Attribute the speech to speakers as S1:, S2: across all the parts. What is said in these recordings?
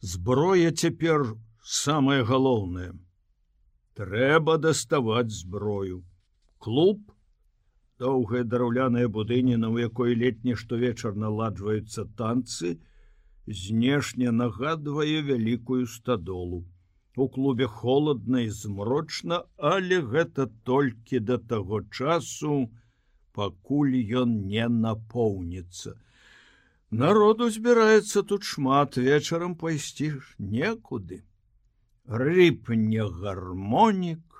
S1: Зброя цяпер самае галоўнае. Трэба даставаць зброю. Клуб, доўгая драўляная будыніна, у якой летні штовечар наладжваюцца танцы, знешне нагадвае вялікую стадолу. У клубе холодна і змрочна, але гэта толькі да таго часу, пакуль ён не напоўніцца. Народу збіраецца тут шмат, вечарам пайсці некуды. Рыпне гармонік,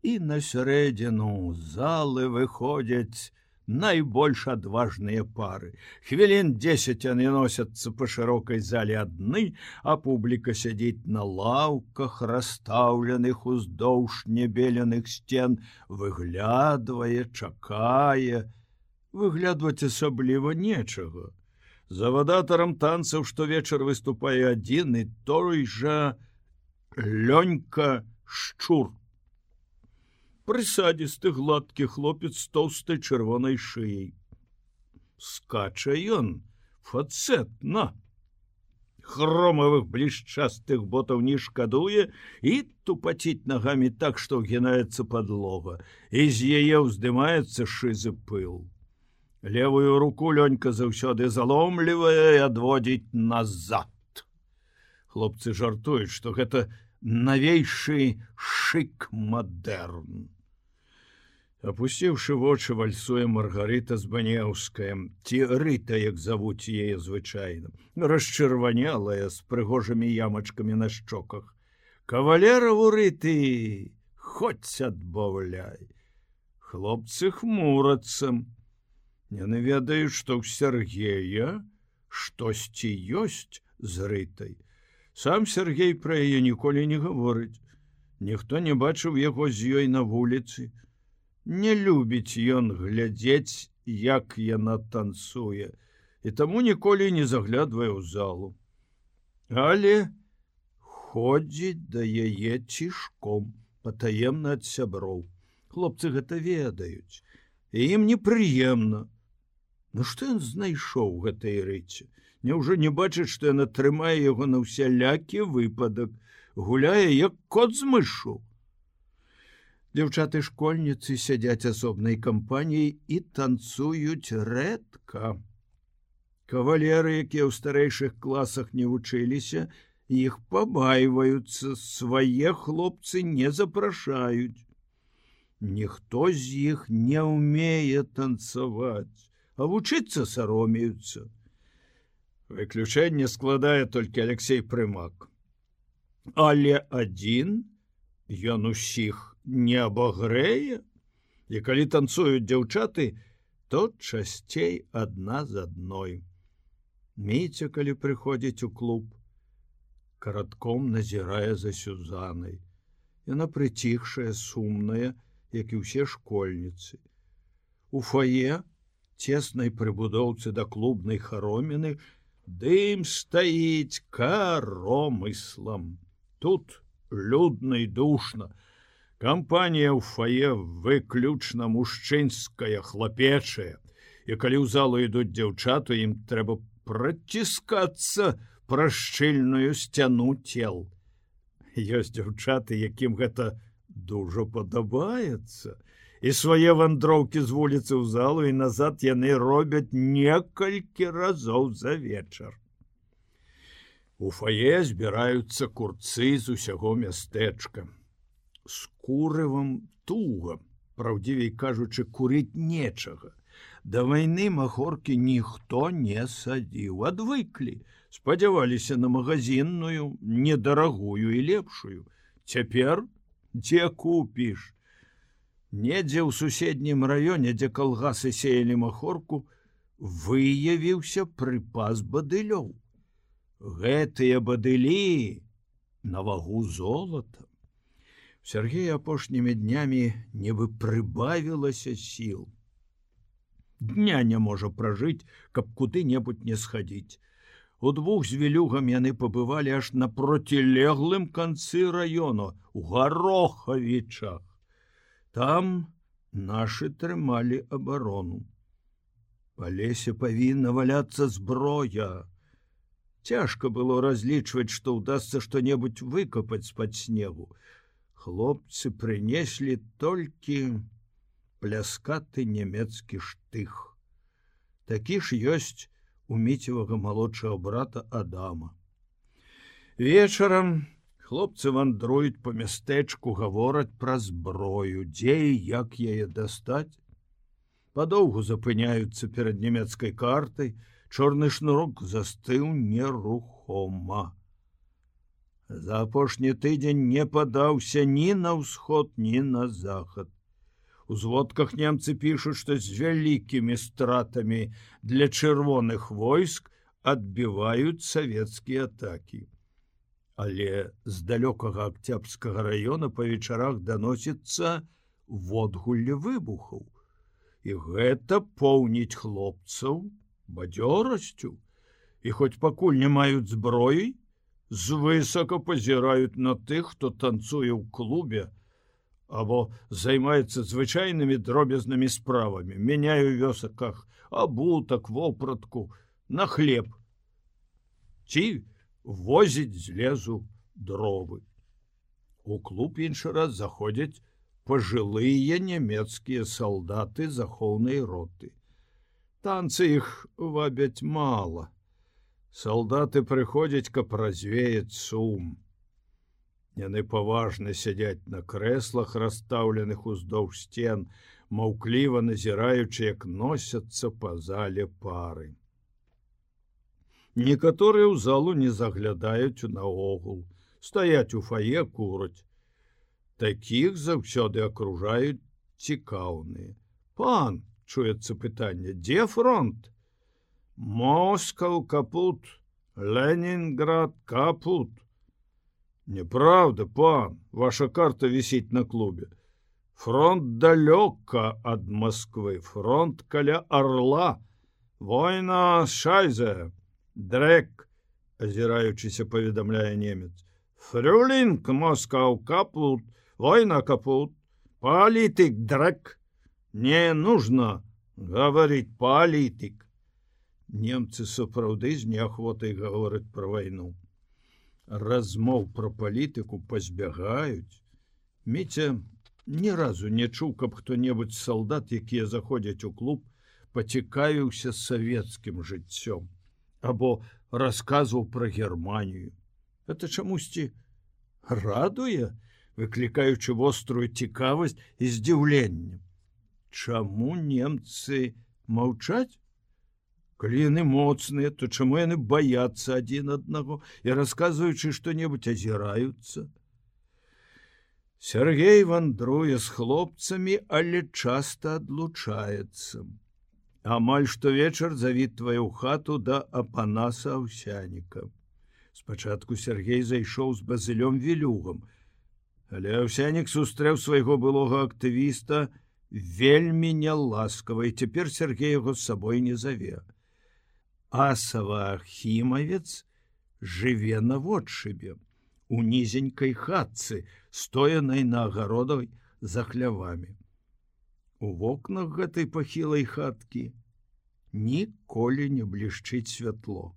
S1: і на сярэдзіну залы выходзяць найбольш адважныя пары. Хвілін 10 яны носяцца па шырокай зале адны, а публіка сядзіць на лаўках, расстаўленых уздоўж небеленых сцен, выглядвае, чакае. Выглядваць асабліва нечага. Завадатарам танцаў штовечар выступае адзін і той жа Лёнька Шчур. Прысадзісты гладкі хлопец з тоўстай чырвонай шыяй. Скача ён фацэтна. Хромавых блішчастых ботаў не шкадуе і тупаціць нагамі так, што ўгінаецца падлога, і з яе ўздымаецца шызы пыл. Левую руку Лёнька заўсёды заломлівае і адводзіць назад. Хлопцы жартуюць, што гэта навейшы шык-мадэрн. Апусціўшы вочы, вальсуе Маргарыта Збанеўская, ці Рыта, як завуць яе звычайна, расчырванелая, з прыгожымі ямачкамі на шчоках. Кавалераву Рыты хоць адбаўляй. Хлопцы хмурацца. Яны ведаюць, што ў Сергея штосьці ёсць з Рытай. Сам Сергей пра яе ніколі не гаворыць. Ніхто не бачыў яго з ёй на вуліцы. Не любіць ён глядзець, як яна танцуе, і таму ніколі не заглядвае ў залу. Але ходзіць да яе цішком, патаемна ад сяброў. Хлопцы гэта ведаюць, і ім непрыемна. Ну што ён знайшоў гэтай Рыце? Няўжо не бачыць, што яна трымае яго на ўсялякі выпадак, гуляе як кот з мышу. Дзяўчаты-школьніцы сядзяць асобнай кампаніяй і танцуюць рэдка. Кавалеры, якія ў старэйшых класах не вучыліся, іх пабайваюцца, свае хлопцы не запрашаюць. Ніхто з іх не ўмее танцаваць, а вучыцца саромеюцца. Выключэнне складае толькі Алексей Прымак. Але адзін ён усіх не абагрэе, і калі танцуюць дзяўчаты, то часцей адна з адной. Міця, калі прыходзіць у клуб, каратком назірае за Сюзанай. Яна прыціхшая, сумная, як і ўсе школьніцы. У фае, цеснай прыбудоўцы да клубнай хароміны, дым стаіць каромыслам. Тут людна і душна. Кампанія ў фае выключна мужчынская, хлапечая. І калі ў залу ідуць дзяўчаты, ім трэба праціскацца праз шчыльную сцяну цел. Ёсць дзяўчаты, якім гэта дужа падабаецца. І свае вандроўкі з вуліцы ў залу і назад яны робяць некалькі разоў за вечар. У фае збіраюцца курцы з усяго мястэчка. З курывам туга, праўдзівей кажучы, курыць нечага. Да вайны махоркі ніхто не садзіў, адвыклі, спадзяваліся на магазінную, недарагую і лепшую. Цяпер дзе купіш? Недзе ў суседнім раёне, дзе калгасы сеялі махорку, выявіўся прыпас бадылёў. Гэтыя бадылі на вагу золата. У Сергея апошнімі днямі нібы прыбавілася сіл. Дня не можа пражыць, каб куды-небудзь не схадзіць. Удвух з Вілюгам яны пабывалі аж на процілеглым канцы раёну, у Гарохавічах. Там нашы трымалі абарону. Па лесе павінна валяцца зброя. Цяжка было разлічваць, што ўдасца што-небудзь выкапаць з-пад снегу. Хлопцы прынеслі толькі пляскаты нямецкі штых. Такі ж ёсць у Міцевага малодшага брата Адама. Вечарам хлопцы вандруюць па мястэчку, гавораць пра зброю, дзе і як яе дастаць. Падоўгу запыняюцца перад нямецкай картай, чорны шнурок застыў нерухома. За апошні тыдзень не падаўся ні на ўсход, ні на захад. У зводках немцы пішуць, што з вялікімі стратамі для чырвоных войск адбіваюць савецкія атакі. Але з далёкага Акцябрскага раёна па вечарах даносіцца водгулле выбухаў. І гэта поўніць хлопцаў бадзёрасцю. І хоць пакуль не маюць зброі, звысока пазіраюць на тых, хто танцуе ў клубе або займаецца звычайнымі дробязнымі справамі, мяняе ў вёсаках абутак, вопратку на хлеб ці возіць з лесу дровы. У клуб іншы раз заходзяць пажылыя нямецкія салдаты захоўнай роты. Танцы іх вабяць мала. Салдаты прыходзяць, каб развеяць сум. Яны паважна сядзяць на крэслах, расстаўленых уздоўж сцен, маўкліва назіраючы, як носяцца па зале пары. Некаторыя ў залу не заглядаюць наогул, стаяць у фае, кураць. Такіх заўсёды акружаюць цікаўныя. Пан, чуецца пытанне, дзе фронт? Москаў капут, Ленінград капут. Неправда, пан, ваша карта висит на клубе. Фронт далёка ад Москвы, фронт каля Орла. Война шайзе, дрэк, азіраючыся паведамляе немец. Фрюлінг, Москаў капут, война капут, политик дрэк. Не нужно говорить политик. Немцы сапраўды з неахвотай гавораць пра вайну. Размоў пра палітыку пазбягаюць. Міця ні разу не чуў, каб хто-небудзь з салдат, якія заходзяць у клуб, пацікавіўся савецкім жыццём або расказваў пра Германію. Это чамусьці радуе, выклікаючы вострую цікавасць і здзіўленне. Чаму немцы маўчаць? Калі яны моцныя, то чаму яны баяцца адзін аднаго і, расказваючы што-небудзь, азіраюцца? Сергей вандруе з хлопцамі, але часта адлучаецца. Амаль штовечар завітвае ў хату да Апанаса Аўсяніка. Спачатку Сергей зайшоў з Базылём Вілюгам, але Аўсянік сустрэў свайго былога актывіста вельмі няласкава, і цяпер Сергей яго з сабой не заве. Асава Ахімавец жыве наводшыбе, у нізенькай хатцы, стоянай на агародах за хлявамі. У вокнах гэтай пахілай хаткі ніколі не блішчыць святло.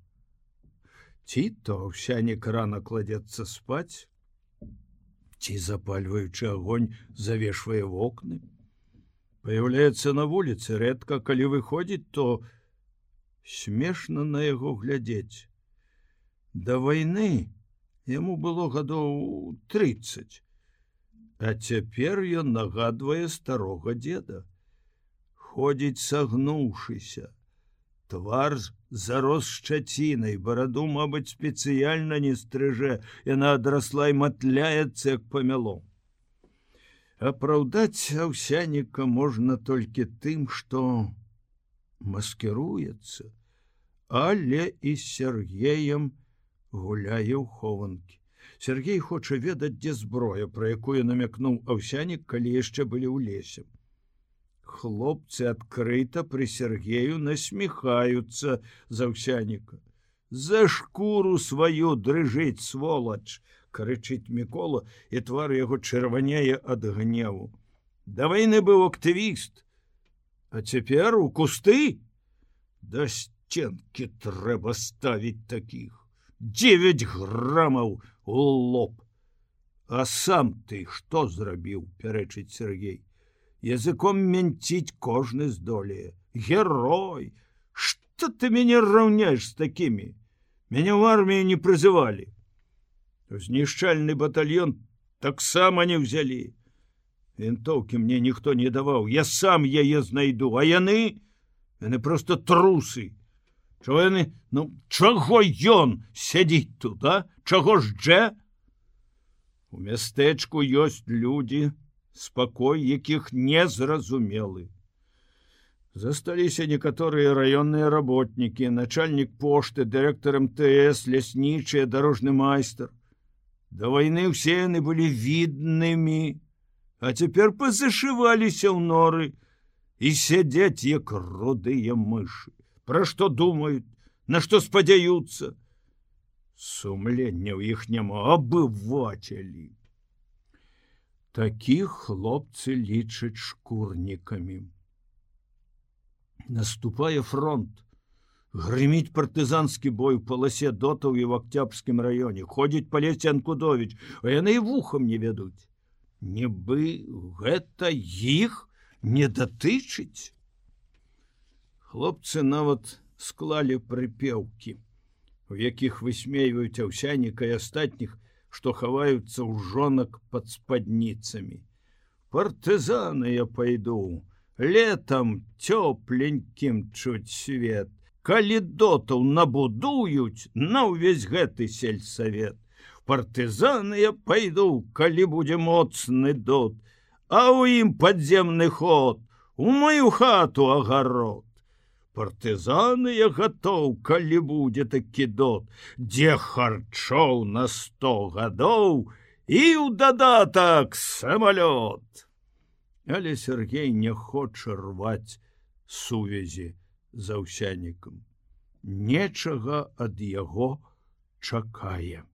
S1: Ці то Аўсянік рана кладзецца спаць, ці, запальваючы агонь, завешвае вокны. Паяўляецца на вуліцы рэдка, калі выходзіць, то смешна на яго глядзець. Да вайны яму было гадоў 30, а цяпер ён нагадвае старога дзеда. Ходзіць сагнуўшыся, твар зарос шчацінай, бараду, мабыць, спецыяльна не стрыжэ, яна адрасла і матляецца, як памяло. Апраўдаць Аўсяніка можна толькі тым, што маскіруецца, але і з Сергеем гуляе ў хованкі. Сергей хоча ведаць, дзе зброя, пра якую намякнуў Аўсянік, калі яшчэ былі ў лесе. Хлопцы адкрыта пры Сергею насміхаюцца з Аўсяніка. За шкуру сваю дрыжыць, сволач, крычыць Мікола, і твар яго чырванее ад гневу. Да вайны быў актывіст, а цяпер у кусты? Да сценкі трэба ставіць такіх. 9 грамаў у лоб. А сам ты што зрабіў, пярэчыць Сергей. Языком мянціць кожны здолее. Герой! Што ты мяне раўняеш з такімі? Мяне ў армію не прызывалі. Знішчальны батальён таксама не ўзялі. Вінтоўкі мне ніхто не даваў, я сам яе знайду, а яны просто трусы. Чаго яны, чаго ён сядзіць тут, а? Чаго ж дже? У мястэчку ёсць людзі, спакой якіх незразумелы. Засталіся некаторыя раённыя работнікі, начальнік пошты, дырэктар МТС, ляснічыя, дарожны майстар. Да вайны ўсе яны былі віднымі, а цяпер пазашываліся ў норы і сядзяць як рудыя мышы. Пра што думаюць, на што спадзяюцца? Сумлення ў іх няма, абывацелі. Такіх хлопцы лічаць шкурнікамі. Наступае фронт. Грыміць партызанскі бой у паласе дотаў і ў Акцябрскім раёне. Ходзіць па лесе Анкудовіч, а яны і вухам не ведуць. Нібы гэта іх не датычыць. Хлопцы нават склалі прыпеўкі, у якіх высмейваюць Аўсяніка і астатніх, што хаваюцца ў жонак пад спадніцамі. Партызаны я пайду, летам цёпленькім чуць свет. Калі дотаў набудуюць на ўвесь гэты сельсавет. Партызаны я пайду, калі будзе моцны дот, а ў ім падземны ход, у маю хату агарод. Партызаны я гатоў, калі будзе такі дот, дзе харчоў на 100 гадоў і ў дадатак самалёт. Але Сергей не хоча рваць сувязі з Аўсянікам. Нечага ад яго чакае.